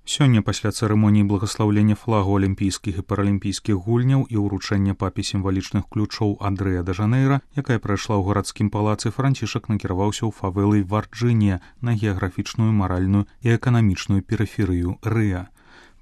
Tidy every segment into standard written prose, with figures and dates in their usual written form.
Сёння пасля цырымоніі благаслаўлення флагу алімпійскіх і паралімпійскіх гульняў і ўручэння папе сімвалічных ключоў ад Рыа-дэ-Жанэйра, якая прайшла ў гарадскім палацы, Францішак накіраваўся ў фавэлы Варджынія на геаграфічную, маральную і эканамічную перыферыю Рыа.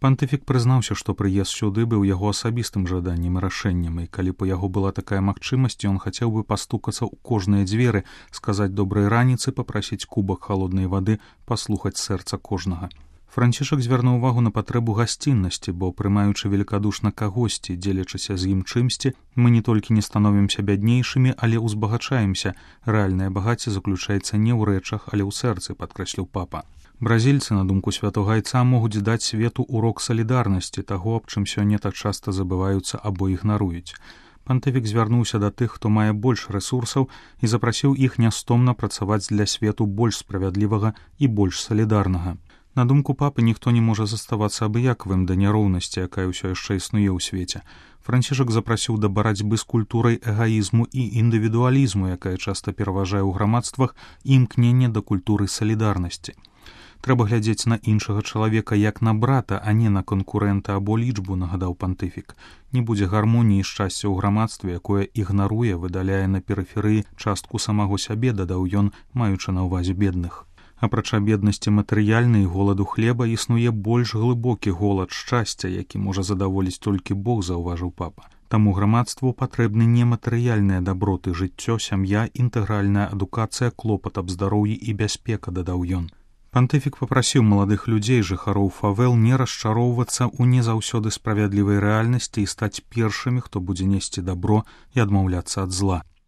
Пантыфік прызнаўся, што прыезд сюды быў яго асабістым жаданнем і рашэннем, і калі б у яго была такая магчымасць, ён хацеў бы пастукацца ў кожныя дзверы, сказаць добрай раніцы, папрасіць кубак халоднай вады, паслухаць сэрца кожнага. Францішак звярнуў увагу на патрэбу гасціннасці, бо, прымаючы велікадушна кагосьці, дзелячыся з ім чымсьці, мы не толькі не становімся бяднейшымі, але ўзбагачаемся. Рэальнае багацце заключаецца не ў рэчах, але ў сэрцы, падкрэсліў папа. Бразільцы, на думку святога айца, могуць даць свету урок салідарнасці, таго, аб чым сёння так часта забываюцца або ігнаруюць. Пантыфік звярнуўся да тых, хто мае больш рэсурсаў, і запрасіў іх нястомна працаваць для свету больш справядлівага і больш салідарнага. На думку папы, ніхто не можа заставацца абыякавым да няроўнасці, якая ўсё яшчэ існуе ў свеце. Францішак запрасіў да барацьбы з культурай эгаізму і індывідуалізму, якая часта пераважае ў грамадствах, і імкнення да культуры салідарнасці. Трэба глядзець на іншага чалавека як на брата, а не на канкурэнта або лічбу, нагадаў пантыфік. Не будзе гармоніі і шчасця ў грамадстве, якое ігнаруе, выдаляе на перыферыі частку самога сябе, дадаў ён, маючы на ўвазе бедных. Апрача беднасці матэрыяльнай і голаду хлеба існуе больш глыбокі голад шчасця, які можа задаволіць толькі Бог, заўважыў папа. Таму грамадству патрэбны нематэрыяльныя даброты, жыццё, сям'я, інтэгральная адукацыя, клопат аб здароўі і бяспека, дадаў ён. Пантыфік папрасіў маладых людзей, жыхароў фавел, не расчароўвацца ў не заўсёды справядлівай рэальнасці і стаць першымі, хто будзе несці дабро і адмаўляцца ад зла.